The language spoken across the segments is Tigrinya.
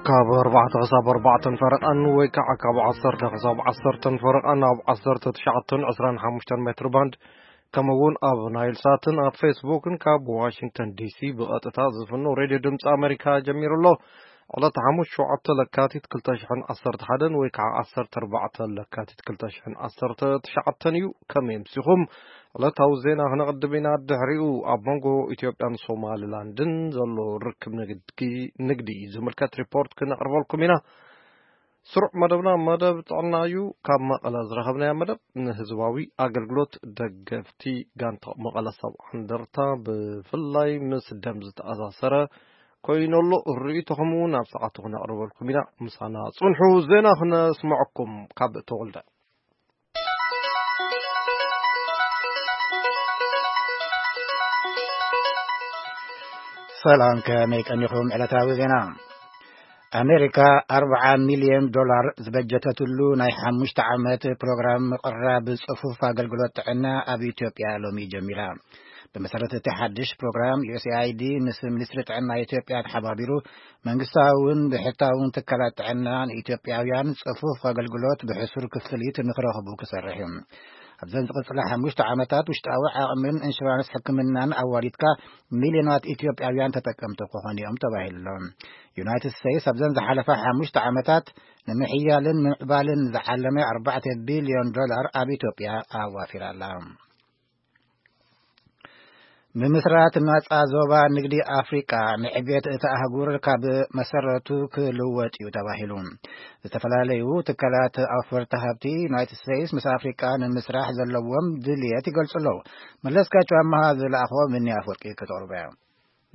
ካብ ኣርባዕተ ክሳብ ኣርባዕተን ፈረቓን ወይ ከዓ ካብ ዓሰርተ ክሳብ ዓሰርተን ፈረቓን ኣብ ዓሰርተ ትሽዓተን ዕስራን ሓሙሽተን ሜትር ባንድ፣ ከምኡ እውን ኣብ ናይል ሳትን ኣብ ፌስቡክን ካብ ዋሽንግተን ዲሲ ብቐጥታ ዝፍኖ ሬድዮ ድምፂ ኣሜሪካ ጀሚሩ ኣሎ። ዕለት ሓሙስ ሸውዓተ ለካቲት ክልተ ሽሕን ዓሰርተ ሓደን ወይ ከዓ ዓሰርተ ኣርባዕተ ለካቲት ክልተ ሽሕን ዓሰርተ ትሽዓተን እዩ። ከመይ ኣምሲኹም? ዕለታዊ ዜና ክነቕድም ኢና። ድሕሪኡ ኣብ መንጎ ኢትዮጵያን ሶማሊላንድን ዘሎ ርክብ ንግዲ፣ ንግዲ ዝምልከት ሪፖርት ክነቕርበልኩም ኢና። ስሩዕ መደብና መደብ ጥዕና እዩ። ካብ መቐለ ዝረኸብናዮ መደብ ንህዝባዊ ኣገልግሎት ደገፍቲ ጋንታ መቐለ ሰብዓ እንደርታ ብፍላይ ምስ ደም ዝተኣሳሰረ ኮይኑ ኣሎ። ርእይቶኹም እውን ኣብ ሰዓቱ ክነቕርበልኩም ኢና። ምሳና ጽንሑ። ዜና ክነስምዐኩም ካብ ተወልደ። ሰላም፣ ከመይ ቀኒኹም? ዕለታዊ ዜና። ኣሜሪካ ኣርብዓ ሚልዮን ዶላር ዝበጀተትሉ ናይ ሓሙሽተ ዓመት ፕሮግራም ምቕራብ ጽፉፍ ኣገልግሎት ጥዕና ኣብ ኢትዮጵያ ሎሚ ጀሚራ። ብመሰረት እቲ ሓድሽ ፕሮግራም፣ ዩ ኤስ ኤ ኣይ ዲ ምስ ሚኒስትሪ ጥዕና ኢትዮጵያ ተሓባቢሩ መንግስታውን ብሕታውን ትካላት ጥዕና ንኢትዮጵያውያን ጽፉፍ ኣገልግሎት ብሕሱር ክፍሊት ንክረኽቡ ክሰርሕ እዩ። ኣብዘን ዝቕጽላ ሓሙሽተ ዓመታት ውሽጣዊ ዓቕምን ኢንሹራንስ ሕክምናን ኣዋዲድካ ሚልዮናት ኢትዮጵያውያን ተጠቀምቲ ክኾኑ እዮም ተባሂሉ ኣሎ። ዩናይትድ ስቴትስ ኣብዘን ዝሓለፋ ሓሙሽተ ዓመታት ንምሕያልን ምምዕባልን ዝዓለመ ኣርባዕተ ቢልዮን ዶላር ኣብ ኢትዮጵያ ኣዋፊራ ኣላ። ምምስራት ናጻ ዞባ ንግዲ ኣፍሪቃ ንዕቤት እቲ ኣህጉር ካብ መሰረቱ ክልወጥ እዩ ተባሂሉ። ዝተፈላለዩ ትካላት ኣውፈርቲ ሃብቲ ዩናይትድ ስቴትስ ምስ ኣፍሪቃ ንምስራሕ ዘለዎም ድልየት ይገልጹ ኣለዉ። መለስካቸው ኣመሃ ዝለኣኽዎ ምኒ ኣፍወርቂ ከተቕርቦ እያ።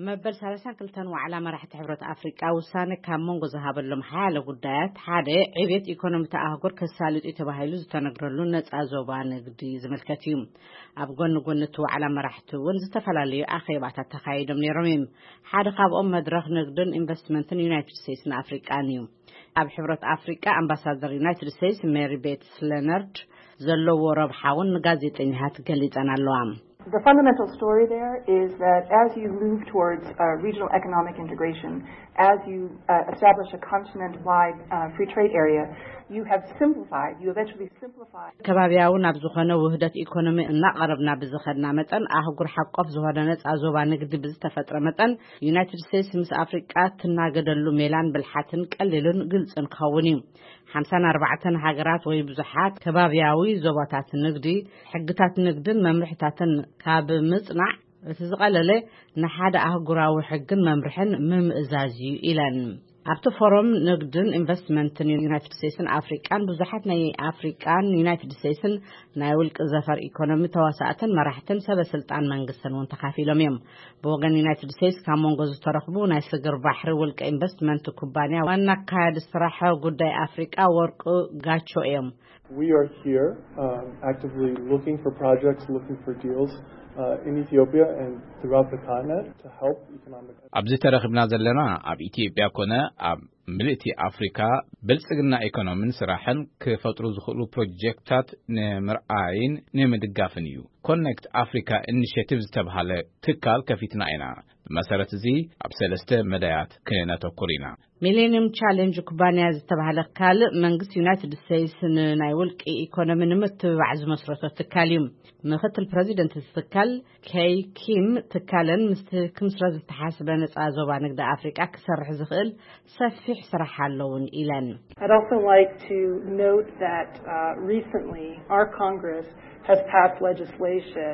መበል ሰላሳን ክልተን ዋዕላ መራሕቲ ሕብረት ኣፍሪቃ ውሳነ ካብ መንጎ ዝሃበሎም ሓያለ ጉዳያት ሓደ ዕቤት ኢኮኖሚ እቲ ኣህጉር ከሳልጡ እዩ ተባሂሉ ዝተነግረሉ ነጻ ዞባ ንግዲ ዝምልከት እዩ። ኣብ ጎኒ ጎኒ እቲ ዋዕላ መራሕቲ እውን ዝተፈላለዩ ኣኼባታት ተኻይዶም ነይሮም እዮም። ሓደ ካብኦም መድረኽ ንግድን ኢንቨስትመንትን ዩናይትድ ስቴትስን ኣፍሪቃን እዩ። ኣብ ሕብረት ኣፍሪቃ ኣምባሳደር ዩናይትድ ስቴትስ ሜሪ ቤትስ ለነርድ ዘለዎ ረብሓ እውን ንጋዜጠኛታት ገሊጸን ኣለዋ። The fundamental story there is that as you move towards uh, regional economic integration, as you uh, establish a continent-wide uh, free trade area, you have simplified, you eventually simplified ከባቢያዊ ናብ ዝኾነ ውህደት ኢኮኖሚ እናቐረብና ብዝኸድና መጠን ኣህጉር ሓቆፍ ዝኾነ ነጻ ዞባ ንግዲ ብዝተፈጥረ መጠን ዩናይትድ ስቴትስ ምስ ኣፍሪቃ ትናገደሉ ሜላን ብልሓትን ቀሊልን ግልጽን ክኸውን እዩ። ሓምሳን ኣርባዕተን ሃገራት ወይ ብዙሓት ከባቢያዊ ዞባታት ንግዲ ሕግታት ንግድን መምርሕታትን ካብ ምጽናዕ እቲ ዝቐለለ ንሓደ ኣህጉራዊ ሕግን መምርሕን ምምእዛዝ እዩ ኢለን። ኣብቲ ፎረም ንግድን ኢንቨስትመንትን ዩናይትድ ስቴትስን ኣፍሪቃን ብዙሓት ናይ ኣፍሪቃን ዩናይትድ ስቴትስን ናይ ውልቂ ዘፈር ኢኮኖሚ ተዋሳእትን መራሕትን ሰበ ስልጣን መንግስትን እውን ተኻፊሎም እዮም። ብወገን ዩናይትድ ስቴትስ ካብ መንጎ ዝተረኽቡ ናይ ስግር ባሕሪ ውልቂ ኢንቨስትመንት ኩባንያ ዋና ኣካያዲ ስራሕ ጉዳይ ኣፍሪቃ ወርቁ ጋቾ እዮም። We are here um, actively looking for projects, looking for deals uh, in Ethiopia and throughout the continent to help economic ኣብዚ ተረኺብና ዘለና ኣብ ኢትዮጵያ ኮነ ኣብ ምልእቲ ኣፍሪካ ብልጽግና ኢኮኖሚን ስራሕን ክፈጥሩ ዝኽእሉ ፕሮጀክታት ንምርኣይን ንምድጋፍን እዩ። ኮኔክት ኣፍሪካ ኢኒሽቲቭ ዝተብሃለ ትካል ከፊትና ኢና። ብመሰረት እዚ ኣብ ሰለስተ መዳያት ክነተኩር ኢና። ሚሌኒየም ቻሌንጅ ኩባንያ ዝተባህለ ካልእ መንግስቲ ዩናይትድ ስቴትስ ንናይ ውልቂ ኢኮኖሚ ንምትብባዕ ዝመስረቶ ትካል እዩ። ምክትል ፕረዚደንት እቲ ትካል ኬይ ኪም ትካለን ምስቲ ክምስረት ዝተሓስበ ነፃ ዞባ ንግዲ ኣፍሪቃ ክሰርሕ ዝኽእል ሰፊሕ ስራሕ ኣለውን ኢለን። I'd also like to note that uh, recently our Congress has passed legislation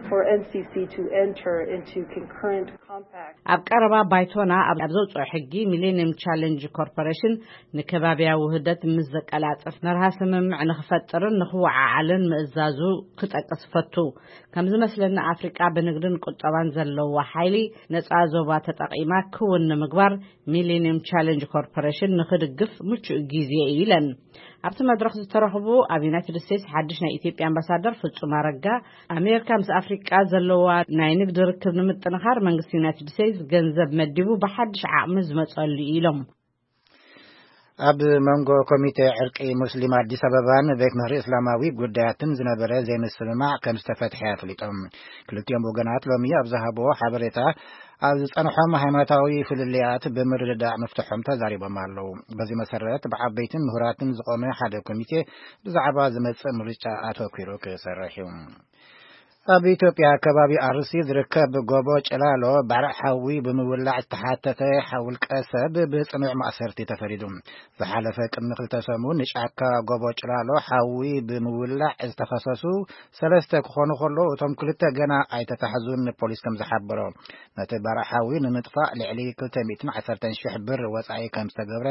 for N C C to enter into concurrent compact. ኣብ ቀረባ ባይቶና ኣብ ዘውፅኦ ሕጊ ሚሌኒየም ቻሌንጅ ኮርፖሬሽን ንከባቢያዊ ውህደት ምስ ዘቀላጥፍ መርሃ ስምምዕ ንክፈጥርን ንክወዓዓልን ምእዛዙ ክጠቅስ ፈቱ። ከም ዝመስለኒ ኣፍሪቃ ብንግድን ቁጠባን ዘለዎ ሓይሊ ነፃ ዞባ ተጠቂማ ክውን ንምግባር ሚሌኒየም ቻሌንጅ ኮርፖሬሽን ንክድግፍ ምቹእ ግዜ እዩ ኢለን። ኣብቲ መድረኽ ዝተረኽቡ ኣብ ዩናይትድ ስቴትስ ሓድሽ ናይ ኢትዮጵያ ኣምባሳደር ፍጹም ኣረጋ ኣሜሪካ ምስ ኣፍሪቃ ዘለዋ ናይ ንግዲ ርክብ ንምጥንኻር መንግስቲ ዩናይትድ ስቴትስ ገንዘብ መዲቡ ብሓድሽ ዓቕሚ ዝመፀሉ እዩ ኢሎም። ኣብ መንጎ ኮሚቴ ዕርቂ ሙስሊም ኣዲስ ኣበባን ቤት ምኽሪ እስላማዊ ጉዳያትን ዝነበረ ዘይምስምማዕ ከም ዝተፈትሐ ኣፍሊጦም። ክልቲኦም ወገናት ሎሚ ኣብ ዝሃብዎ ሓበሬታ፣ ኣብ ዝጸንሖም ሃይማኖታዊ ፍልልያት ብምርድዳእ ምፍትሖም ተዛሪቦም ኣለዉ። በዚ መሰረት፣ ብዓበይትን ምሁራትን ዝቖመ ሓደ ኮሚቴ ብዛዕባ ዝመጽእ ምርጫ ኣተኲሩ ክሰርሕ እዩ። ኣብ ኢትዮጵያ ከባቢ ኣርሲ ዝርከብ ጎቦ ጭላሎ ባርዕ ሓዊ ብምውላዕ ዝተሓተተ ውልቀ ሰብ ብጽኑዕ ማእሰርቲ ተፈሪዱ። ዝሓለፈ ቅድሚ ክልተ ሰሙን ንጫካ ጎቦ ጭላሎ ሓዊ ብምውላዕ ዝተኸሰሱ ሰለስተ ክኾኑ ከለዉ፣ እቶም ክልተ ገና ኣይተታሕዙን፣ ፖሊስ ከም ዝሓበሮ። ነቲ ባርዕ ሓዊ ንምጥፋእ ልዕሊ ክልተ ሚእትን ዓሰርተን ሽሕ ብር ወጻኢ ከም ዝተገብረ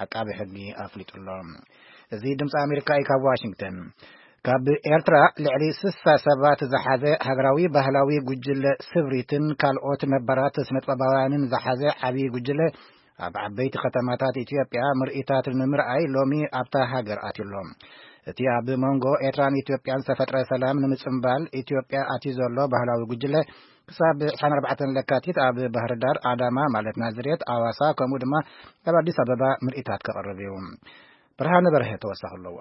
ዓቃቢ ሕጊ ኣፍሊጡ ኣሎ። እዚ ድምፂ ኣሜሪካ እዩ። ካብ ዋሽንግተን፣ ካብ ኤርትራ ልዕሊ ስሳ ሰባት ዝሓዘ ሃገራዊ ባህላዊ ጉጅለ ስብሪትን ካልኦት ነባራት ስነጥበባውያንን ዝሓዘ ዓብዪ ጉጅለ ኣብ ዓበይቲ ከተማታት ኢትዮጵያ ምርኢታት ንምርኣይ ሎሚ ኣብታ ሃገር ኣትዩ ኣሎ። እቲ ኣብ መንጎ ኤርትራን ኢትዮጵያን ዝተፈጥረ ሰላም ንምጽንባል ኢትዮጵያ ኣትዩ ዘሎ ባህላዊ ጉጅለ ክሳብ ዕስራን ኣርባዕተን ለካቲት ኣብ ባህርዳር፣ ኣዳማ ማለት ናዝሬት፣ ኣዋሳ ከምኡ ድማ ኣብ ኣዲስ ኣበባ ምርኢታት ከቕርብ እዩ። ብርሃነ በርሀ ተወሳኺ ኣለዎ።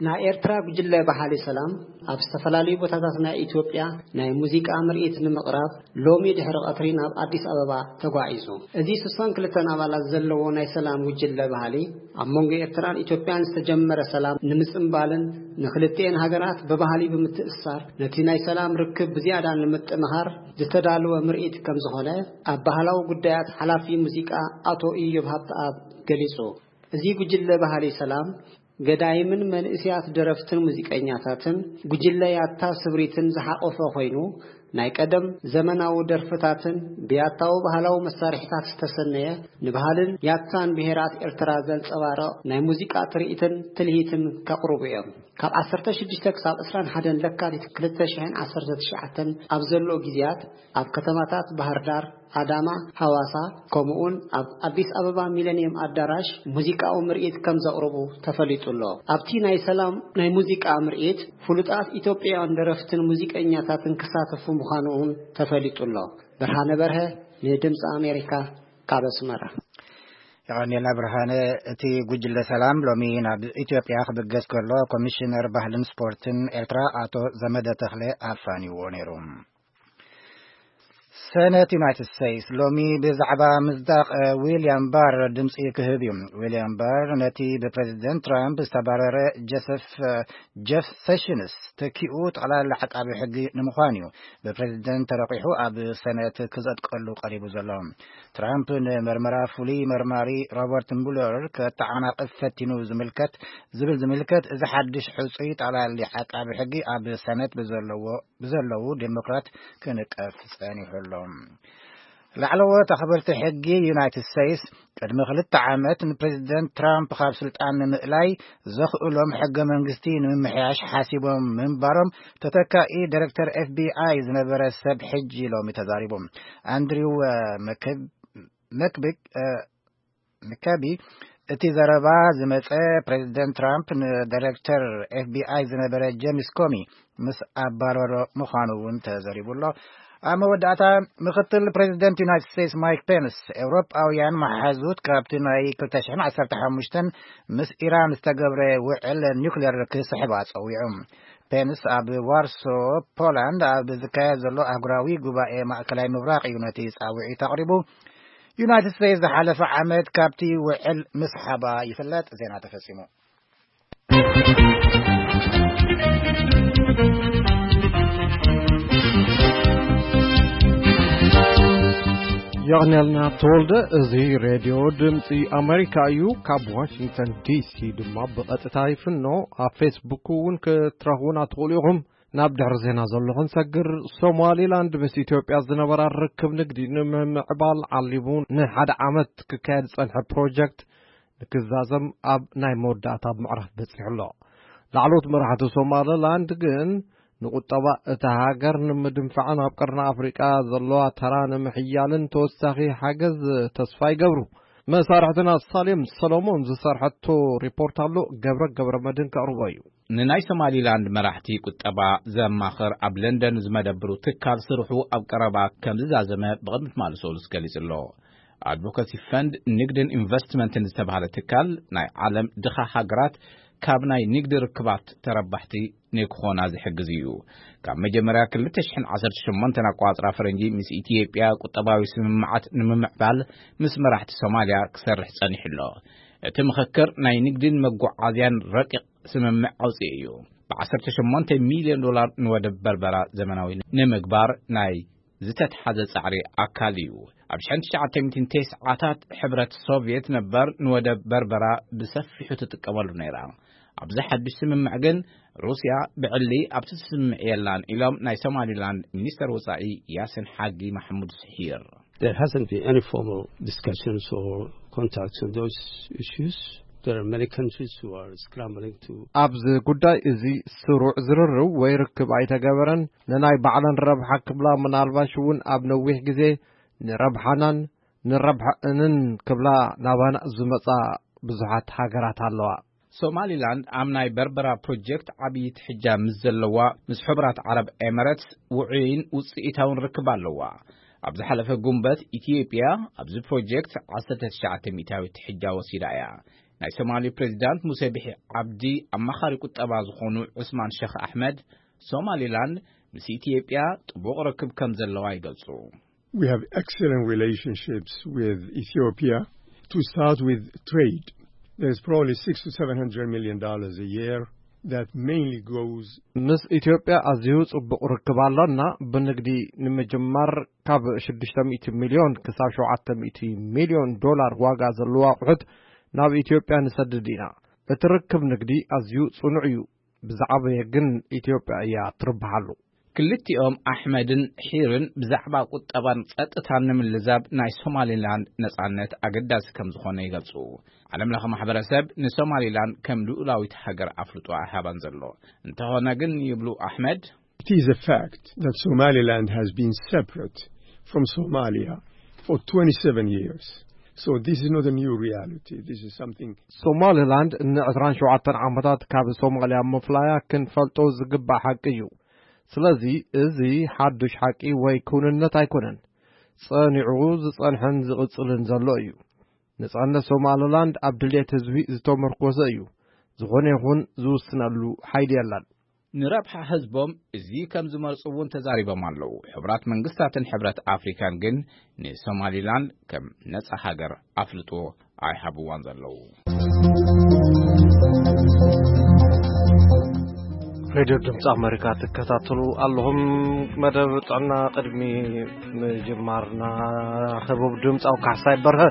ናይ ኤርትራ ጉጅለ በሃሊ ሰላም ኣብ ዝተፈላለዩ ቦታታት ናይ ኢትዮጵያ ናይ ሙዚቃ ምርኢት ንምቕራብ ሎሚ ድሕሪ ቀትሪ ናብ ኣዲስ ኣበባ ተጓዒዙ። እዚ ስሳን ክልተን ኣባላት ዘለዎ ናይ ሰላም ጉጅለ በሃሊ ኣብ መንጎ ኤርትራን ኢትዮጵያን ዝተጀመረ ሰላም ንምጽንባልን ንክልቲኤን ሃገራት ብባህሊ ብምትእስሳር ነቲ ናይ ሰላም ርክብ ብዝያዳ ንምጥንኻር ዝተዳለወ ምርኢት ከም ዝኾነ ኣብ ባህላዊ ጉዳያት ሓላፊ ሙዚቃ ኣቶ ኢዮብ ሃብተኣብ ገሊጹ። እዚ ጉጅለ በሃሊ ሰላም ገዳይምን መንእስያት ደረፍትን ሙዚቀኛታትን ጉጅለ ያታ ስብሪትን ዝሓቆፈ ኮይኑ፣ ናይ ቀደም ዘመናዊ ደርፍታትን ብያታዊ ባህላዊ መሳርሒታት ዝተሰነየ ንባህልን ያታን ብሄራት ኤርትራ ዘንጸባርቕ ናይ ሙዚቃ ትርኢትን ትልሂትን ከቕርቡ እዮም። ካብ ዓሰርተ ሽዱሽተ ክሳብ ዕስራን ሓደን ለካቲት ክልተ ሽሕን ዓሰርተ ትሽዓተን ኣብ ዘሎ ግዜያት ኣብ ከተማታት ባህር ዳር፣ ኣዳማ፣ ሃዋሳ፣ ከምኡውን ኣብ ኣዲስ ኣበባ ሚለኒየም ኣዳራሽ ሙዚቃዊ ምርኢት ከም ዘቕርቡ ተፈሊጡ ኣሎ። ኣብቲ ናይ ሰላም ናይ ሙዚቃ ምርኢት ፍሉጣት ኢትዮጵያውያን ደረፍትን ሙዚቀኛታትን ክሳተፉ ምዃኑ እውን ተፈሊጡ ኣሎ። ብርሃነ በርሀ ንድምፂ ኣሜሪካ ካብ ኣስመራ። የቐንየልና ብርሃነ። እቲ ጉጅለ ሰላም ሎሚ ናብ ኢትዮጵያ ክብገስ ከሎ፣ ኮሚሽነር ባህልን ስፖርትን ኤርትራ ኣቶ ዘመደ ተኽለ ኣፋንይዎ ነይሩ። ሰነት ዩናይትድ ስቴትስ ሎሚ ብዛዕባ ምጽዳቕ፣ እ፣ ዊልያም ባር ድምጺ ክህብ እዩ። ዊልያም ባር ነቲ ብፕሬዚደንት ትራምፕ ዝተባረረ ጀሰፍ፣ እ፣ ጀፍ ሴሽንስ ተኪኡ ጠቕላላ ዓቃቢ ሕጊ ንምዃን እዩ ብፕሬዚደንት ተረቂሑ ኣብ ሰነት ክጸድቀሉ ቀሪቡ ዘሎ። ትራምፕ ንመርመራ ፍሉይ መርማሪ ሮበርት ሙለር ከተዓናቕፍ ፈቲኑ ዝምልከት፣ ዝብል ዝምልከት፣ እዚ ሓድሽ ሕጹይ ጠቕላሊ ዓቃቢ ሕጊ ኣብ ሰነት ብዘለዎ ብዘለዉ ዴሞክራት ክንቀፍ ጸኒሑ ኣሎ። ላዕለዎት ኣኽበርቲ ሕጊ ዩናይትድ ስቴትስ ቅድሚ ክልተ ዓመት ንፕሬዚደንት ትራምፕ ካብ ስልጣን ንምእላይ ዘኽእሎም ሕገ መንግስቲ ንምምሕያሽ ሓሲቦም ምንባሮም ተተካኢ ዳይሬክተር ኤፍ ቢ ኣይ ዝነበረ ሰብ ሕጂ ሎሚ ተዛሪቡ። ኣንድሪው፣ እ፣ መከብ-፣ መክቢክ፣ እ፣ መከቢ፣ እቲ ዘረባ ዝመጸ ፕሬዚደንት ትራምፕ ንዳይሬክተር ኤፍ ቢ ኣይ ዝነበረ ጄምስ ኮሚ ምስ ኣባረሮ ምዃኑ እውን ተዘሪቡ ኣሎ። ኣብ መወዳእታ፣ ምኽትል ፕሬዚደንት ዩናይትድ ስቴትስ ማይክ ፔንስ፣ ኤውሮጳውያን መሓዙት ካብቲ ናይ ክልተ ሽሕን ዓሰርተ ሓሙሽተን ምስ ኢራን ዝተገብረ ውዕል ኒውክሌር ክስሕባ ጸዊዑ። ፔንስ ኣብ ዋርሶ፣ ፖላንድ ኣብ ዝካየድ ዘሎ ኣህጉራዊ ጉባኤ ማእከላይ ምብራቕ እዩ ነቲ ጻውዒት ኣቕሪቡ። ዩናይትድ ስቴትስ ዝሓለፈ ዓመት ካብቲ ውዕል ምስሓባ ይፍለጥ። ዜና ተፈጺሙ። የቕንየልና ተወልደ። እዚ ሬድዮ ድምፂ ኣሜሪካ እዩ። ካብ ዋሽንግተን ዲ ሲ ድማ ብቐጥታ ይፍኖ። ኣብ ፌስቡክ እውን ክትረኽቡና ትኽእሉ ኢኹም። ናብ ድሕሪ ዜና ዘሎ ክንሰግር፣ ሶማሊላንድ ምስ ኢትዮጵያ ዝነበራ ርክብ ንግዲ ንምምዕባል ዓሊሙ ንሓደ ዓመት ክካየድ ዝጸንሐ ፕሮጀክት ንክዛዘም ኣብ ናይ መወዳእታ ምዕራፍ በጺሑ ኣሎ። ላዕለዎት መራሕቲ ሶማሊላንድ ግን ንቁጠባ እታ ሃገር ንምድንፋዕን ኣብ ቀርኒ ኣፍሪቃ ዘለዋ ተራ ንምሕያልን ተወሳኺ ሓገዝ ተስፋ ይገብሩ። መሳርሕትና ሳሌም ሰሎሞን ዝሰርሐቶ ሪፖርት ኣሎ፣ ገብረ ገብረ መድህን ከቕርቦ እዩ። ንናይ ሶማሊላንድ መራሕቲ ቁጠባ ዘማኽር ኣብ ለንደን ዝመደብሩ ትካል ስርሑ ኣብ ቀረባ ከም ዝዛዘመ ብቕድሚ ትማሊ ሰሉስ ገሊጹ ኣሎ። ኣድቮካሲ ፈንድ ንግድን ኢንቨስትመንትን ዝተባህለ ትካል፣ ናይ ዓለም ድኻ ሃገራት ካብ ናይ ንግዲ ርክባት ተረባሕቲ ንክኾና ዝሕግዝ እዩ። ካብ መጀመርያ ክልተ ሽሕን ዓሰርተ ሸሞንተን ኣቋጽራ ፈረንጂ ምስ ኢትዮጵያ ቁጠባዊ ስምምዓት ንምምዕባል ምስ መራሕቲ ሶማልያ ክሰርሕ ጸኒሑ ኣሎ። እቲ ምኽክር ናይ ንግድን መጓዓዝያን ረቂቕ ስምምዕ ኣውጽኡ እዩ። ብ ዓሰርተ ሸሞንተ ሚልዮን ዶላር ንወደብ በርበራ ዘመናዊ ንምግባር ናይ ዝተትሓዘ ጻዕሪ ኣካል እዩ። ኣብ ሽሕን ትሽዓተ ሚእትን ተስዓታት ሕብረት ሶቭየት ነበር ንወደብ በርበራ ብሰፊሑ ትጥቀመሉ ነይራ። ኣብዚ ሓድሽ ስምምዕ ግን ሩስያ ብዕሊ ኣብቲ ስምምዕ የላን ኢሎም ናይ ሶማሊላንድ ሚኒስተር ወጻኢ ያሲን ሓጂ ማሕሙድ ስሒር። There hasn't been any formal discussions or contacts on those issues. There are many countries who are scrambling to ኣብዚ ጉዳይ እዚ ስሩዕ ዝርርብ ወይ ርክብ ኣይተገበረን። ንናይ ባዕለን ረብሓ ክብላ፣ ምናልባሽ እውን ኣብ ነዊሕ ግዜ ንረብሓናን ንረብሐእንን ክብላ ናባና ዝመጻ ብዙሓት ሃገራት ኣለዋ። ሶማሊላንድ ኣብ ናይ በርበራ ፕሮጀክት ዓብዪ ትሕጃ ምስ ዘለዋ፣ ምስ ሕቡራት ዓረብ ኤመረትስ ውዑይን ውጽኢታውን ርክብ ኣለዋ። ኣብ ዝሓለፈ ጉንበት፣ ኢትዮጵያ ኣብዚ ፕሮጀክት ዓሰርተ ትሽዓተ ሚእታዊት ትሕጃ ወሲዳ እያ። ናይ ሶማሊ ፕሬዚዳንት ሙሴ ቢሒ ዓብዲ ኣማኻሪ ቁጠባ ዝኾኑ ዑስማን ሸኽ ኣሕመድ፣ ሶማሊላንድ ምስ ኢትዮጵያ ጥቡቕ ርክብ ከም ዘለዋ ይገልጹ። We have excellent relationships with Ethiopia. To start with trade, there's probably six to seven hundred million dollars a year that mainly goes ምስ ኢትዮጵያ ኣዝዩ ጽቡቕ ርክብ ኣሎና። ብንግዲ ንምጅማር ካብ ሽዱሽተ ሚእቲ ሚልዮን ክሳብ ሸውዓተ ሚእቲ ሚልዮን ዶላር ዋጋ ዘለዎ ኣቑሑት ናብ ኢትዮጵያ ንሰድድ ኢና። እቲ ርክብ ንግዲ ኣዝዩ ጽኑዕ እዩ። ብዝዓበየ ግን ኢትዮጵያ እያ ትርብሓሉ። ክልቲኦም ኣሕመድን ሒርን ብዛዕባ ቁጠባን ጸጥታን ንምልዛብ ናይ ሶማሊላንድ ነጻነት ኣገዳሲ ከም ዝኾነ ይገልጹ። ዓለም ለኸ ማሕበረሰብ ንሶማሊላንድ ከም ልኡላዊት ሃገር ኣፍልጦ ኣይሃባን ዘሎ። እንተኾነ ግን ይብሉ ኣሕመድ፣ It is a fact that Somaliland has been separate from Somalia for twenty-seven years. So this is not a new reality. This is something ሶማሊላንድ ንዕስራን ሸውዓተን ዓመታት ካብ ሶማልያ ምፍላያ ክንፈልጦ ዝግባእ ሓቂ እዩ። ስለዚ እዚ ሓዱሽ ሓቂ ወይ ክውንነት ኣይኮነን። ጸኒዑ ዝጸንሐን ዝቕጽልን ዘሎ እዩ። ነጻነት ሶማሊላንድ ኣብ ድሌት ህዝቢ ዝተመርኮሰ እዩ። ዝኾነ ይኹን ዝውስነሉ ሓይሊ የለን። ንረብሓ ህዝቦም እዚ ከም ዝመርጹ እውን ተዛሪቦም ኣለዉ። ሕቡራት መንግስታትን ሕብረት ኣፍሪካን ግን ንሶማሊላንድ ከም ነጻ ሃገር ኣፍልጦ ኣይሃብዋን ዘለዉ። ሬድዮ ድምፂ ኣመሪካ ትከታተሉ ኣለኹም። መደብ ጥዕና ቅድሚ ምጅማርና፣ ህቡብ ድምፃዊ ካሕሳይ በርሀ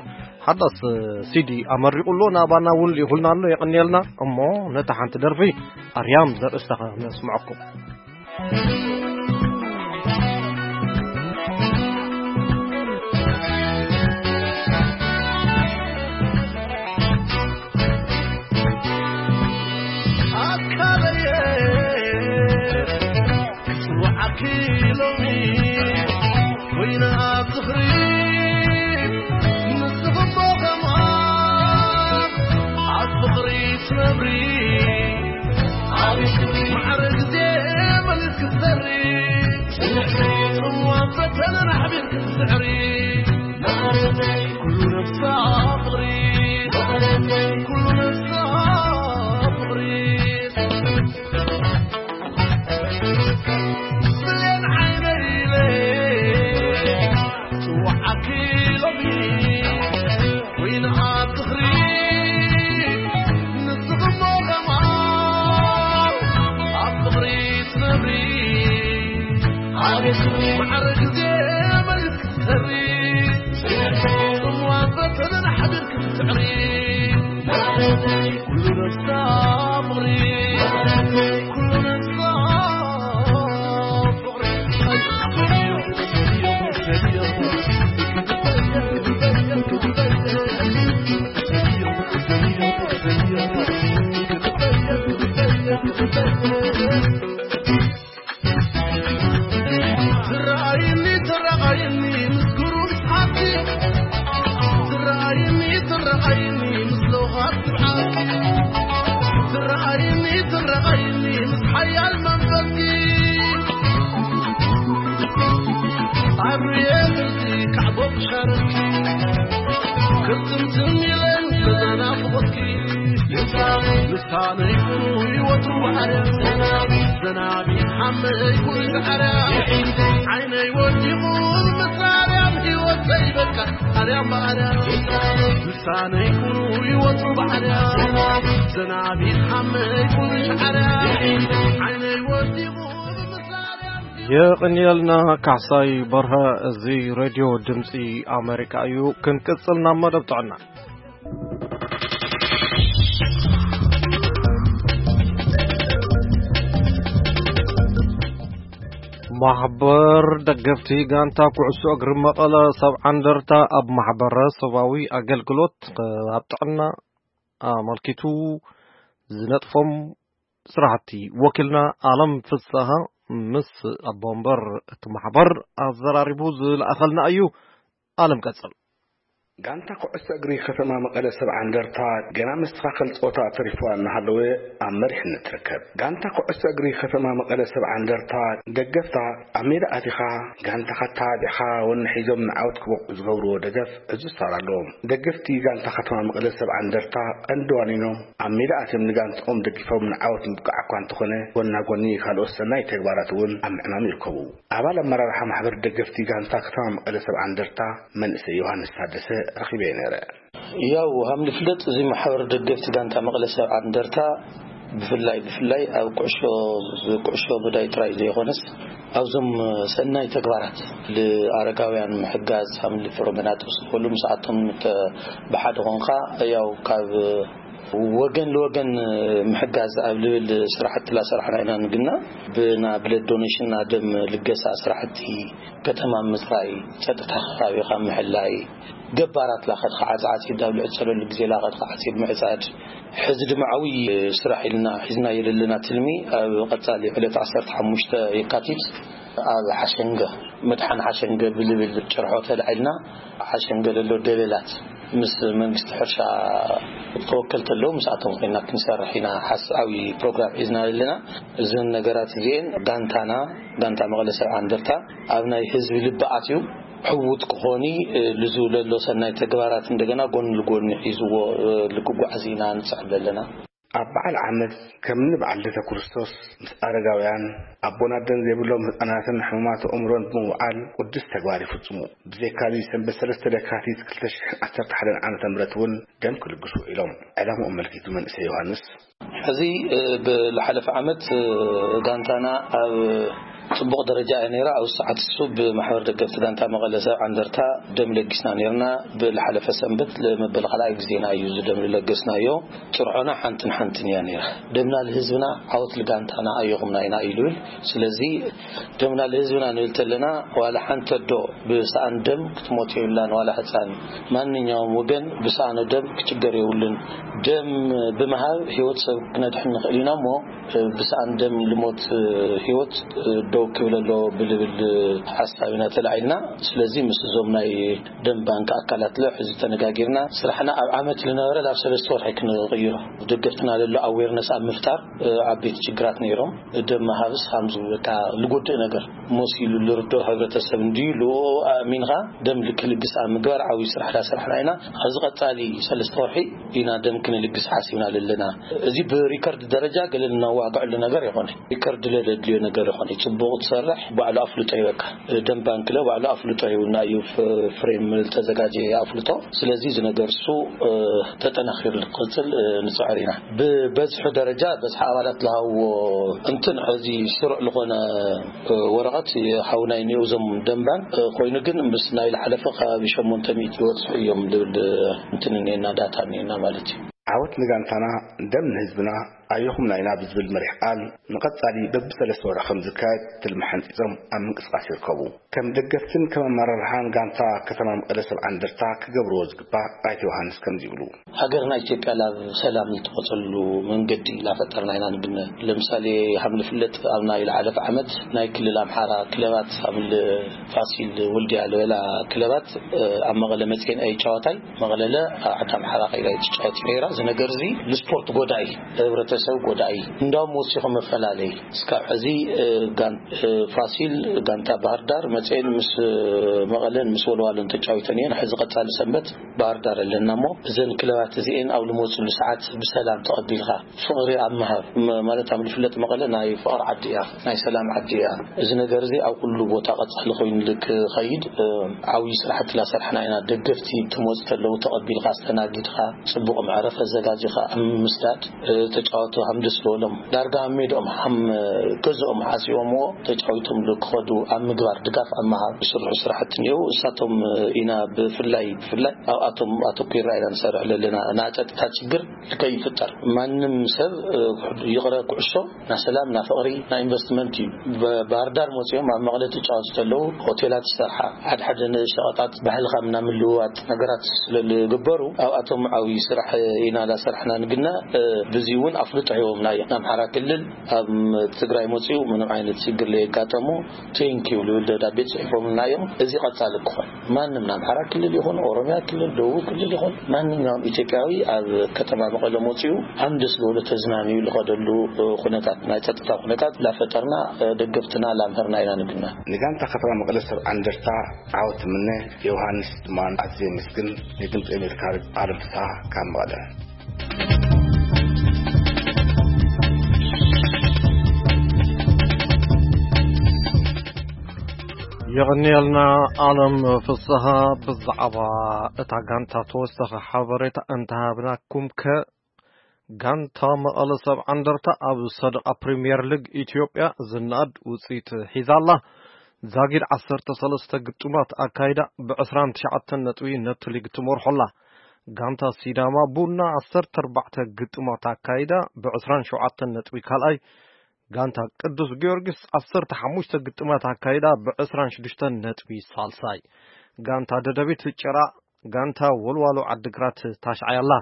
ሓዳስ ሲዲ ኣመሪቑ ኣሎ። ናባና እውን ልኢኹልና ኣሎ። የቐንየልና። እሞ ነታ ሓንቲ ደርፊ ኣርያም ዘርእስታ ከነስምዐኩም። ኣካለየ ክጽውዓኪ ሎሚ ኮይና ኣብ ዝኽሪ ንስኽሞ ከምኣ ኣብ ፍቕሪ ትነብሪ። ኣብ ማዕረ ግዜ መሊስ ክትዘሪ ጽምዋ ፈተነን ኣሕቢር ክትስዕሪ። ኩሉ ነፍሳ ፍቕሪ፣ ኩሉ ነፍሳ ፍቕሪ። ብሌን ዓይነይ ኢለ ጽውዓኪ ሎሚ ኮይና ኣብ ዝኽሪ። ንስኽሞ ከማን ኣብ ፍቕሪ ትነብሪ። ኣቤት ማዕረ ግዜ መሊስ ክትሰሪ። ጽምዋ ፈተነን ሓቢር ክትስዕሪ። ኩሉ ነፍሳ ፍቕሪ፣ ኩሉ ነፍሳ ፍቕሪ። ትረኣይኒ፣ ትረኣይኒ ምስ ግሩም ስሓትኪ። ትረኣይኒ፣ ትረኣይኒ ምስ ለውሃት ትብዓትኪ። ትረኣይኒ፣ ትረኣይኒ ምስ ሓያል መንፈስኪ። ኣብርየ ቅርጺ ካዕቦ ክሻረኪ። ልሳነይ ኩሉ ይወትሩ ባሕርያ፣ ዘናቢ ሓመይ ኩሉ ሻዕርያ፣ ዓይነይ ወዲቑ ምስላ ኣርያም፣ ህይወተይ በቃ ኣርያም ብኣርያም። ልሳነይ ኩሉ ይወትሩ ባሕርያ፣ ዘናቢ ሓመይ ኩሉ ሻዕርያ፣ ዓይነይ ወዲቑ ምስላ ኣርያም። የቕንየልና ካሕሳይ በርሀ። እዚ ሬድዮ ድምፂ ኣሜሪካ እዩ። ክንቅፅል ናብ መደብ ጥዕና። ማሕበር ደገፍቲ ጋንታ ኩዕሶ እግሪ መቐለ ሰብዓ እንደርታ ኣብ ማሕበረሰባዊ ኣገልግሎት ኣብ ጥዕና ኣመልኪቱ ዝነጥፎም ስራሕቲ ወኪልና ኣለም ፍስሃ ምስ ኣቦ ወንበር እቲ ማሕበር ኣዘራሪቡ ዝለኣኸልና እዩ። ኣለም ቀጽል። ጋንታ ኩዕሶ እግሪ ከተማ መቐለ ሰብዓ እንደርታ ገና መስተኻኸል ጸወታ ተሪፍዋ እናሃለወ ኣብ መሪሕነት ትርከብ። ጋንታ ኩዕሶ እግሪ ከተማ መቐለ ሰብዓ እንደርታ ደገፍታ ኣብ ሜዳ ኣቲኻ ጋንታኻ ተባቢዕኻ ወኒ ሒዞም ንዓወት ክበቕዑ ዝገብርዎ ደገፍ ዕዙዝ ተራ ኣለዎም። ደገፍቲ ጋንታ ከተማ መቐለ ሰብዓ እንደርታ ቀንዲ ዋኒኖም ኣብ ሜዳ ኣትዮም ንጋንትኦም ደጊፎም ንዓወት ምብቃዕ እኳ እንተኾነ፣ ጎና ጎኒ ካልኦት ሰናይ ተግባራት እውን ኣብ ምዕማም ይርከቡ። ኣባል ኣመራርሓ ማሕበር ደገፍቲ ጋንታ ከተማ መቐለ ሰብዓ እንደርታ መንእሰይ ዮሃንስ ታደሰ ረኺበዮ ነይረ። ያው ሃም ዝፍለጥ፣ እዚ ማሕበር ደገፍቲ ጋንታ መቐለ ሰብዓ እንደርታ ብፍላይ ብፍላይ ኣብ ኩዕሾ፣ ኩዕሾ መዳይ ጥራይ ዘይኮነስ ኣብዞም ሰናይ ተግባራት፣ ንኣረጋውያን ምሕጋዝ፣ ሃም ንፍሮመናጦስ ዝበሉ ምስኣቶም ተ-፣ ብሓደ ኾንካ ያው ካብ ወገን ንወገን ምሕጋዝ ኣብ ልብል ስራሕቲ ላሰራሕና ኢና ንግና። ብና ብለድ ዶኔሽን፣ ና ደም ልገሳ ስራሕቲ ከተማ ምፅራይ፣ ፀጥታ ከባቢኻ ምሕላይ፣ ገባራት ላኸድካ ዓፃዓፂድ ኣብ ልዕፀለሉ ግዜ ላኸድካ ዓፂድ ምዕፃድ። ሕዚ ድማ ዓብዪ ስራሕ ኢልና ሒዝና የለለና ትልሚ ኣብ ቀፃሊ ዕለት ዓሰርተ ሓሙሽተ የካቲት ኣብ ሓሸንገ፣ መድሓን ሓሸንገ ብልብል ጭርሖ ተላዒልና፣ ሓሸንገ ለሎ ደለላት ምስ መንግስቲ ሕርሻ ተወከልቲ ኣለዉ፣ ምስኣቶም ኮይና ክንሰርሕ ኢና ሓስ-፣ ዓብዪ ፕሮግራም ሒዝና ኣለና። እዘን ነገራት እዚኤን ጋንታና፣ ጋንታ መቐለ ሰብዓ እንደርታ ኣብ ናይ ህዝቢ ልቢ ኣትዩ ሕውት ክኾኒ፣ እ፣ ልዙ ለሎ ሰናይ ተግባራት እንደገና ጎን ልጎኒ ሒዝዎ፣ እ፣ ልክጓዓዝ ኢና ንጽዕብ ዘለና። ኣብ በዓል ዓመት ከምኒ በዓል ልደተ ክርስቶስ ምስ ኣረጋውያን፣ ኣቦን ኣደን ዘይብሎም ህጻናትን ሕሙማት ኣእምሮን ብምውዓል ቅዱስ ተግባር ይፍጽሙ። ብዘይካዚ ሰንበት ሰለስተ ለካቲት ክልተ ሽሕን ዓሰርተ ሓደን ዓመተ ምህረት እውን ደም ክልግሱ ውዒሎም። ዕላምኡ ኣመልኪቱ መንእሰይ ዮሃንስ። ሕዚ፣ እ፣ ብዝሓለፈ ዓመት፣ እ፣ ጋንታና ኣብ ጽቡቕ ደረጃ እያ ነይራ። ኣብ ሰዓት እሱ ብማሕበር ደገፍቲ ጋንታ መቐለ ሰብዓ እንደርታ ደም ለጊስና ነይርና። ብዝሓለፈ ሰንበት ለመበል ካልኣይ ግዜና እዩ እዚ ደም ዝለገስናዮ። ጭርሖና ሓንትን ሓንትን እያ ነይራ። ደምና ልህዝብና፣ ዓወት ልጋንታና ኣየኹምና ኢና እዩ ልብል። ስለዚ ደምና ልህዝብና ንብል ተለና፣ ዋላ ሓንቲ ኣዶ ብሰኣን ደም ክትሞት የብላን፣ ዋላ ህፃን። ማንኛውም ወገን ብሰኣኑ ደም ክጭገር የብሉን። ደም ብምሃብ ህይወት ሰብ ክነድሕን ንኽእል ኢና እሞ፣ ብሰኣን ደም ልሞት ህይወት ደው ክብል ኣለዎ ብልብል ሓሳብ ኢና ተላዒልና። ስለዚ ምስ እዞም ናይ ደም ባንክ ኣካላት ለ ሕዚ ተነጋጊርና፣ ስራሕና ኣብ ዓመት ልነበረ ናብ ሰለስተ ወርሒ ክንቕይሮ፣ ደገፍትና ለሎ ኣዌርነስ ኣብ ምፍጣር፣ እ፣ ዓበይቲ ችግራት ነይሮም። ደም ምሃብስ ከምዚ በቃ ልጎድእ ነገር መሲሉ ልርድኦ ሕብረተሰብ እንድዩ፣ ልኡ ኣእሚንኻ ደም ልክልግስ ኣብ ምግባር ዓብዪ ስራሕ ዳሰርሕና ኢና። ኣብዚ ቀጻሊ ሰለስተ ወርሒ ኢና ደም ክንልግስ ሓሲብና ለለና። እዚ ብሪከርድ ደረጃ ገለ ልናዋግዐሉ ነገር ይኾነ፣ ሪከርድ ለለድልዮ ነገር ይኾነ፣ ጽቡቕ ትሰርሕ፣ ባዕሉ ኣፍልጦ ይበካ። ደም ባንክ ለ ባዕሉ ኣፍልጦ ይብና እዩ፣ ፍ-፣ ፍሬም ልተዘጋጀየ ኣፍልጦ። ስለዚ እዚ ነገር እሱ፣ እ፣ ተጠናኺሩ ንክቕጽል፣ እ፣ ንጽዕር ኢና። ብበዝሒ ደረጃ፣ በዝሒ ኣባላት ዝሃብዎ እንትን፣ ሕዚ ስሩዕ ዝኾነ፣ እ፣ ወረቐት ሓውና እዩ እኒኦ፣ እዞም ደም ባንክ፣ እ፣ ኮይኑ ግን ምስ ናይ ዝሓለፈ ከባቢ ሸሞንተ ሚእቲ ይበጽሑ እዮም ዝብል እንትን እኒኤና፣ ዳታ እኒኤና ማለት እዩ። ዓወት ንጋንታና፣ ደም ንህዝብና፣ ኣየኹምና ኢና ብዝብል መሪሕ ቃል ንቐጻሊ በብሰለስተ ወርሒ ከም ዝካየድ ትልሚ ሓንጺጾም ኣብ ምንቅስቃስ ይርከቡ። ከም ደገፍትን ከም ኣመራርሓን ጋንታ ከተማ መቐለ ሰብዓ እንደርታ ክገብርዎ ዝግባእ ኣይተ ዮሃንስ ከምዚ ይብሉ። ሃገርና ኢትዮጵያ ላብ ሰላም ልትወጸሉ መንገዲ ላፈጠርና ኢና ንግነ። ለምሳሌ ሃም ልፍለጥ ኣብ ናይ ዝሓለፈ ዓመት ናይ ክልል ኣምሓራ ክለባት ሃም ል-፣ ፋሲል ወልድያ ልበላ ክለባት፣ እ፣ ኣብ መቐለ መጽኤን ኣይጫወታይ መቐለለ ዓዲ ኣምሓራ ከይዳ እዩ ትጫወት ነይራ። እዚ ነገር እዚ ንስፖርት ጎዳኢ፣ ህብረተ ሰብ ጎዳኢ እንዳውም ወሲኹ መፈላለይ። እስካብ ሕዚ፣ እ፣ ጋን-፣ እ፣ ፋሲል፣ ጋንታ ባህር ዳር መፅኤን ምስ፣ እ፣ መቐለን ምስ ወልዋሎን ተጫዊተን እየን። ሕዚ ቀፃሊ ሰንበት ባህር ዳር ኣለና እሞ እዘን ክለባት እዚኤን ኣብ ልመፅሉ ሰዓት ብሰላም ተቐቢልካ ፍቕሪ ኣብ ምሃብ፣ ም-፣ ማለት ኣብ ልፍለጥ መቐለ ናይ ፍቕሪ ዓዲ እያ፣ ናይ ሰላም ዓዲ እያ። እዚ ነገር እዚ ኣብ ኩሉ ቦታ ቀፃሊ ኮይኑ ክኸይድ፣ እ፣ ዓብዪ ስራሕቲ ላሰርሕና ኢና። ደገፍቲ ትመፁ ተለዉ ተቐቢልካ ኣስተናጊድካ፣ ፅቡቕ መዕረፊ ኣዘጋጂኻ ኣብ ምስዳድ፣ እ፣ ተጫወቱ ሃም ደስ ዝበሎም። ዳርጋ ኣብ ሜድኦም ሃም ገዝኦም ሓሲቦምዎ ተጫዊቶም ክኸዱ ኣብ ምግባር ድጋፍ ኣብ ምሃብ ዝስርሑ ስራሕቲ እኒአው። እሳቶም ኢና ብፍላይ፣ ብፍላይ ኣብኣቶም ኣተኲርና ኢና ንሰርሕ ዘለና። ናይ ጸጥታ ችግር ከይፍጠር ማንም ሰብ፣ እ፣ ይቕረ ኩዕሾ ናይ ሰላም፣ ናይ ፍቕሪ፣ ናይ ኢንቨስትመንት እዩ። ብ-፣ ባህር ዳር መፂኦም ኣብ መቐለ ትጫወቱ ተለዉ ሆቴላት ዝሰርሓ፣ ሓደ ሓደ ሸቐጣት ባህልኻ ምናምን ልውዋጥ ነገራት ስለ ዝግበሩ ኣብኣቶም ዓብዪ ስራሕ ኢና ላሰርሕና ንግና፣ እ፣ ብዚ እውን ኣፍልጦ ሂቦምና እዮም። ንኣምሓራ ክልል ኣብ ትግራይ መፂኡ ምንም ዓይነት ችግር ለየጋጠሙ ቴንኪዩ ልብል ደብዳቤ ፅሒፎምልና እዮም። እዚ ቀፃሊ ክኾን ማንም ንኣምሓራ ክልል ይኹን ኦሮሚያ ክልል፣ ደቡብ ክልል ይኹን ማንኛውም ኢትዮጵያዊ ኣብ ከተማ መቐለ መፂኡ ኣምደስ ዝበሎ ተዝናንዩ ልኸደሉ፣ እ፣ ኩነታት ናይ ጸጥታ ኩነታት ላፈጠርና፣ እ፣ ደገፍትና ላምህርና ኢና ንግና። ንጋንታ ከተማ መቐለ ሰብ ዓንደርታ ዓወት ምነ። ዮሃንስ ድማ ኣዝየ ምስግን። ንድምፂ ኣሜሪካ ኣለም ፍስሃ ካብ መቐለ። የቐንየልና ኣለም ፍስሃ። ብዛዕባ እታ ጋንታ ተወሳኺ ሓበሬታ እንተሃብናኩም ከ፣ ጋንታ መቐለ ሰብ ዓንደርታ ኣብ ሰደቓ ፕሪምየር ሊግ ኢትዮጵያ ዝነኣድ ውፅኢት ሒዛ ኣላ። ዛጊድ ዓሰርተ ሰለስተ ግጥማት ኣካይዳ ብ ዕስራን ትሽዓተን ነጥቢ ነቲ ሊግ ትመርሖ ኣላ። ጋንታ ሲዳማ ቡና ዓሰርተ ኣርባዕተ ግጥማት ኣካይዳ ብ ዕስራን ሸውዓተን ነጥቢ ካልኣይ፣ ጋንታ ቅዱስ ጊዮርጊስ ዓሰርተ ሓሙሽተ ግጥማት ኣካይዳ ብ ዕስራን ሽዱሽተን ነጥቢ ሳልሳይ፣ ጋንታ ደደቢት ጭራ ጋንታ ወልዋሎ ዓዲግራት ታሽዓይ ኣላ።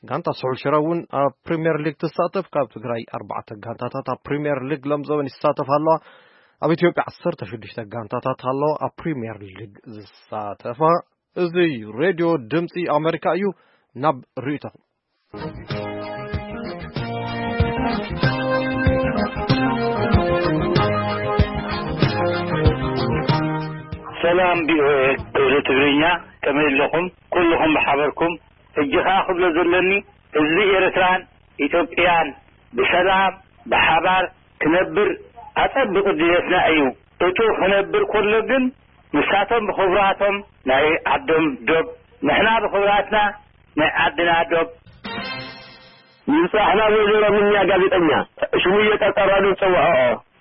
ጋንታ ስሑል ሽረ እውን ኣብ ፕሪምየር ሊግ ትሳተፍ። ካብ ትግራይ ኣርባዕተ ጋንታታት ኣብ ፕሪምየር ሊግ ለምዘበን ይሳተፋ ኣለዋ። ኣብ ኢትዮጵያ ዓሰርተ ሽዱሽተ ጋንታታት ኣለዋ ኣብ ፕሪምየር ሊግ ዝሳተፋ። እዚ ሬድዮ ድምፂ ኣሜሪካ እዩ። ናብ ርእይቶኹም። ሰላም ቪኦኤ ክፍሊ ትግርኛ፣ ከመይ ኣለኹም? ኩልኹም ብሓበርኩም። ሕጂ ኸኣ ክብሎ ዘለኒ፣ ህዝቢ ኤርትራን ኢትዮጵያን ብሰላም ብሓባር ክነብር ኣጸብቑ ድሌትና እዩ። እቱ ክነብር ከሎ ግን ንሳቶም ብኽብራቶም ናይ ዓዶም ዶብ፣ ንሕና ብኽብራትና ናይ ዓድና ዶብ። ምብጻሕና ወይዘሮ ምንያ ጋዜጠኛ ሽሙየ ጠርጠራሉ ዝጸውዐኦ።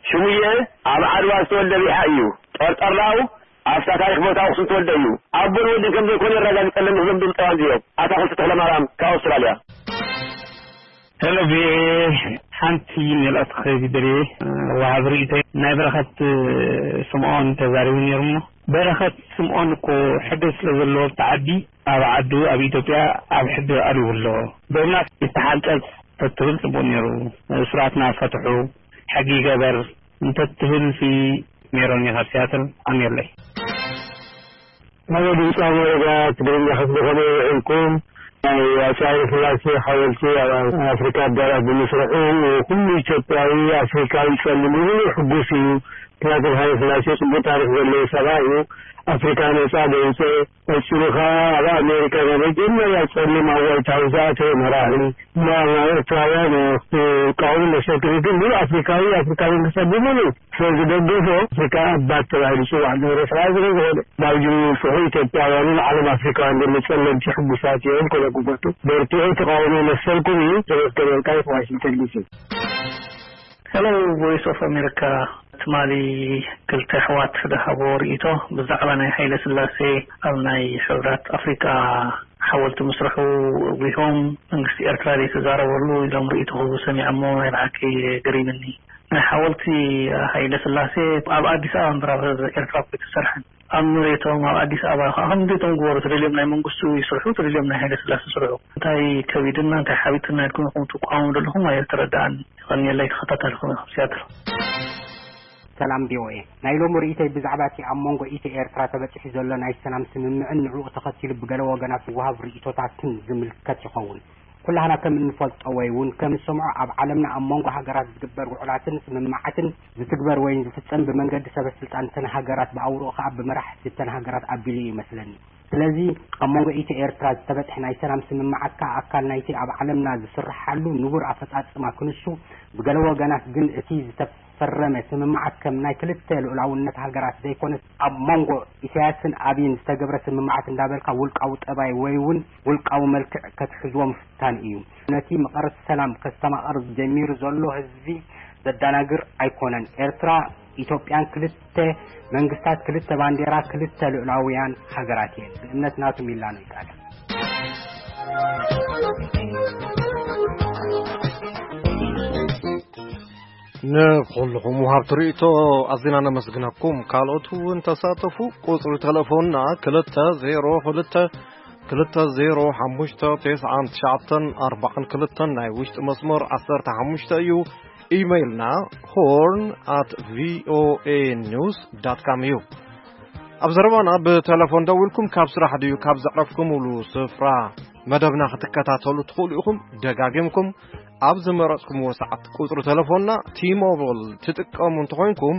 ሽሙየ ኣብ ዓድዋ ዝተወልደ ቢሓ እዩ። ጠርጠራው ኣብታ ታሪኽ ቦታ ኣኽሱም ተወልደ እዩ። ኣቦን ወድን ከም ዘይኮነ የረጋግጸለን እዞም ድምጻውያን እዚኦም። ኣታኽልቲ ተኽለማርያም ካብ ኣውስትራልያ። ሄሎ ቪኦኤ፣ ሓንቲ መልእኽቲ ክህብ ይደልየ። ወሃብ ርእይቶይ ናይ በረኸት ስምዖን ተዛሪቡ ነይሩ እሞ፣ በረኸት ስምዖን እኮ ሕገ ስለ ዘለዎ ኣብቲ ዓዲ፣ ኣብ ዓዱ ኣብ ኢትዮጵያ ኣብ ሕገ ቀሪቡ ኣሎ። ዶብና ይተሓንጸጽ ተትብል ጽቡቕ ነይሩ። እሱራትና ፈትሑ፣ ሕጊ ይገበር እንተትብል ሲ ሜሮን እየ ካብ ሲያትል። ኣሜለይ። ሄሎ ድምፂ ኣሜሪካ ትግርኛ ክፍሊ፣ ከመይ ውዒልኩም? ናይ ኣፄ ሃይለ ስላሴ ሓወልቲ ኣብ ኣፍሪካ ኣዳራሽ ብምስርሑ ኩሉ ኢትዮጵያዊ ኣፍሪካዊ ጸሊም ሙሉእ ሕጉስ እዩ። ምክንያቱ ሃይለ ስላሴ ጽቡቅ ታሪክ ዘለዎ ሰብኣይ እዩ። ኣፍሪካ ነጻ ደውፀ፣ ቀፂሉ ከዓ ኣብ ኣሜሪካ ናይ መጀመርያ ጸሊም ኣብ ዋይት ሃውስ ዝኣተወ መራሒ። እሞ ኤርትራውያን ክትቃወሙ መሰልኩም እዩ፣ ግን ሙሉእ ኣፍሪካዊ፣ ኣፍሪካ መንግስታት ብምሉእ ስለ ዝደገፎ ኣፍሪካ ኣባት ተባሂሉ ይፅዋዕ። ንኤርትራ ስለ ዝኾነ ናብ ጅምሩ ንስሑ ኢትዮጵያውያንን ዓለም ኣፍሪካውያን ዘሎ ጸለምቲ ሕጉሳት እዮም። ከለጉበቱ በርትዑ፣ ተቃውሞ መሰልኩም እዩ። ተመስገን ወልቃይት፣ ዋሽንግተን ዲሲ። ሄሎ ቮይስ ኦፍ ኣሜሪካ፣ ትማሊ ክልተ ኣሕዋት ዝሃቦ ርእይቶ ብዛዕባ ናይ ሃይለ ስላሴ ኣብ ናይ ሕብራት ኣፍሪቃ ሓወልቲ ምስርሑ ኣጉሂዎም፣ መንግስቲ ኤርትራ ዘይተዛረበሉ ኢሎም ርእይቶ ክህቡ ሰሚዐ እሞ ናይ ብሓቂ ገሪምኒ። ናይ ሓወልቲ ሃይለ ስላሴ ኣብ ኣዲስ ኣበባ እምበር ኣብ ኤርትራ እኮ ኣይተሰርሐን። ኣብ መሬቶም ኣብ ኣዲስ ኣበባ ከዓ ከም ድሌቶም ግበሩ፣ ተደልዮም ናይ መንግስቱ ይስርሑ፣ ተደልዮም ናይ ሃይለ ስላሴ ይስርሑ። እንታይ ከቢድና፣ እንታይ ሓቢጥና ኢልኩም ኢኹም ትቃወሙ ዘለኹም ኣይተረድኣኒ። የቐንየለይ፣ ተኸታታልኩም ኢኹም፣ ሲያትል። ሰላም ቪኦኤ፣ ናይ ሎሚ ርእይቶይ ብዛዕባ እቲ ኣብ መንጎ ኢትዮ ኤርትራ ተበጺሑ ዘሎ ናይ ሰላም ስምምዕን ንዕኡ ተኸቲሉ ብገለ ወገናት ዝወሃብ ርእይቶታትን ዝምልከት ይኸውን። ኩላህና ከም እንፈልጦ ወይ እውን ከም እንሰምዖ፣ ኣብ ዓለምና ኣብ መንጎ ሃገራት ዝግበር ውዕላትን ስምምዓትን ዝትግበር ወይ ዝፍጸም ብመንገዲ ሰበ ስልጣን እተን ሃገራት፣ ብኣውርኡ ከኣ ብመራሕቲ እተን ሃገራት ኣቢሉ እዩ ይመስለኒ። ስለዚ ኣብ መንጎ ኢትዮ ኤርትራ ዝተበጽሐ ናይ ሰላም ስምምዓት ከኣ ኣካል ናይቲ ኣብ ዓለምና ዝስርሓሉ ንቡር ኣፈጻጽማ ክንሱ፣ ብገለ ወገናት ግን እቲ ዝተፈረመ ስምምዓት ከም ናይ ክልተ ልኡላውነት ሃገራት ዘይኮነስ ኣብ መንጎ ኢሳያስን ኣብይን ዝተገብረ ስምምዓት እንዳበልካ ውልቃዊ ጠባይ ወይ እውን ውልቃዊ መልክዕ ከትሕዝዎ ምፍታን እዩ። ነቲ መቐረት ሰላም ከስተማቕር ጀሚሩ ዘሎ ህዝቢ ዘደናግር ኣይኮነን። ኤርትራ ኢትዮጵያን ክልተ መንግስታት፣ ክልተ ባንዴራ፣ ክልተ ልኡላውያን ሃገራት እየን። ብእምነት ናቱ ሚላኖ ይቃዳ። ንኹልኹም ወሃብቲ ርእይቶ ኣዚና ነመስግነኩም። ካልኦት እውን ተሳተፉ። ቁጽሪ ተለፎንና ክልተ ዜሮ ክልተ፣ ክልተ ዜሮ ሓሙሽተ፣ ተስዓን ትሽዓተን ኣርባዓን ክልተን፣ ናይ ውሽጢ መስመር ዓሰርተ ሓሙሽተ እዩ። ኢሜይልና ሆርን ኣት ቪኦኤ ኒውስ ዳት ካም እዩ። ኣብ ዘረባና ብተለፎን ደዊልኩም ካብ ስራሕ ድዩ ካብ ዘዕረፍኩምሉ ስፍራ መደብና ክትከታተሉ ትኽእሉ ኢኹም። ደጋጊምኩም ኣብ ዝመረጽኩምዎ ሰዓት። ቁጽሪ ተለፎንና ቲሞብል ትጥቀሙ እንተኾይንኩም፣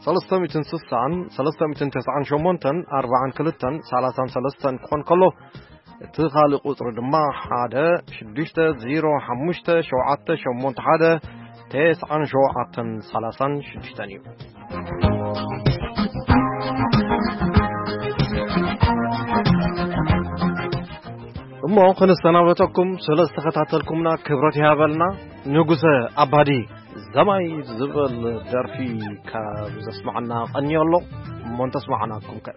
ሰለስተ ሚእትን ስሳን ሰለስተ ሚእትን ተስዓን ሸሞንተን ኣርባዓን ክልተን ሰላሳን ሰለስተን ክኾን ከሎ፣ እቲ ካልእ ቁጽሪ ድማ ሓደ ሽዱሽተ ዜሮ ሓሙሽተ ሸውዓተ ሸሞንተ ሓደ ተስዓን ሸውዓተን ሰላሳን ሽዱሽተን እዩ። እሞ ክንሰናበተኩም ስለ ዝተኸታተልኩምና ክብረት ይሃበልና። ንጉሰ ኣባዲ ዘማይ ዝብል ደርፊ ካብ ዘስማዓና ቀንዮ ኣሎ። እሞ እንተስማዕናኩም ከ?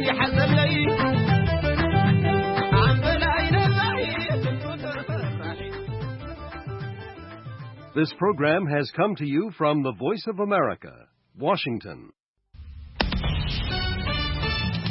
ይሓሰብለይ ኣንበላይ ነባሒ ስንቱ ተፈራሒ This program has come to you from the Voice of America, Washington.